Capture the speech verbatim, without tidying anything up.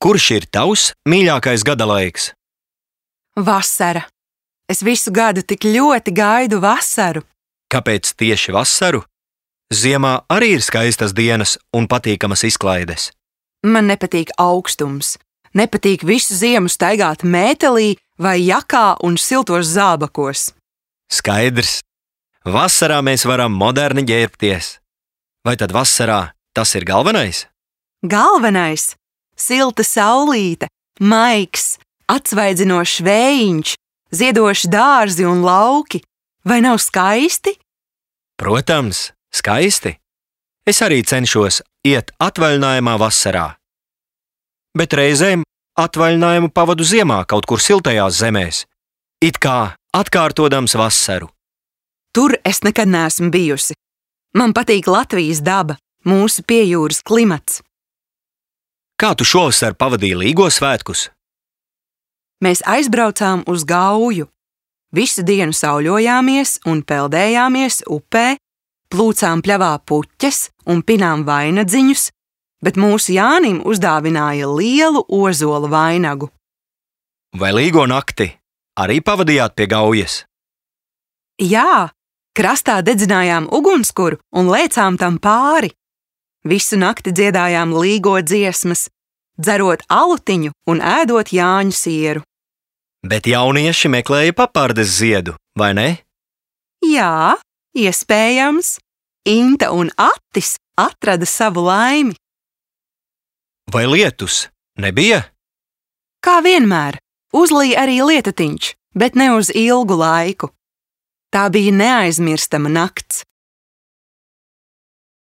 Kurš ir tavs mīļākais gada laiks? Vasara. Es visu gadu tik ļoti gaidu vasaru. Kāpēc tieši vasaru? Ziemā arī ir skaistas dienas un patīkamas izklaides. Man nepatīk augstums. Nepatīk visu ziemu staigāt mētelī vai jakā un siltos zābakos. Skaidrs. Vasarā mēs varam moderni ģērbties. Vai tad vasarā tas ir galvenais? Galvenais – silta saulīte, maigs, atsvaidzinošs vējiņš, ziedoši dārzi un lauki. Vai nav skaisti? Protams, skaisti. Es arī cenšos iet atvaļinājumā vasarā. Bet reizēm atvaļinājumu pavadu ziemā kaut kur siltajās zemēs, it kā atkārtodams vasaru. Tur es nekad neesmu bijusi. Man patīk Latvijas daba, mūsu piejūras klimats. Kā tu šovasar pavadīji Līgo svētkus? Mēs aizbraucām uz Gauju. Visu dienu sauļojāmies un peldējāmies upē, plūcām pļavā puķes un pinām vainadziņus, bet mūsu Jānim uzdāvināja lielu ozola vainagu. Vai Līgo nakti arī pavadījāt pie Gaujas? Jā, krastā dedzinājām ugunskura un lēcām tam pāri. Visu nakti dziedājām Līgo dziesmas, dzerot alutiņu un ēdot Jāņu sieru. Bet jaunieši meklēja papardes ziedu, vai ne? Jā, iespējams. Inta un Attis atrada savu laimi. Vai lietus nebija? Kā vienmēr, uzlīja arī lietatiņš, bet ne uz ilgu laiku. Tā bija neaizmirstama nakts.